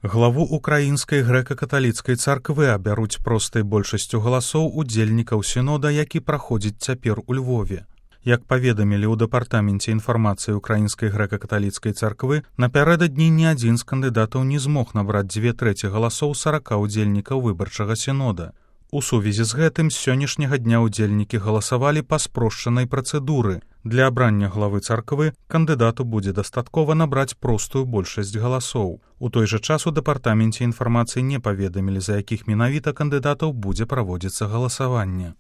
Главу украінскай грэка-каталіцкай царквы абяруць простай большасцю галасоў удзельнікаў сінода, які праходзіць цяпер у Львове. Як паведамілі ў дэпартаменце інфармацыі украінскай грэка-каталіцкай царквы, напярэдадні ні адзін з кандыдатаў не змог набраць 2/3 галасоў 40 удзельнікаў выбарчага сінода. У сувязі з гэтым з сённяшняга дня удзельнікі галасавалі па спрошчанай працэдуры. Для абрання главы царквы кандыдату будзе дастаткова набраць простую большасць галасоў. У той жа час у дэпартаменце інфармацыі не паведамілі, за якіх менавіта кандыдатаў будзе праводзіцца галасаванне.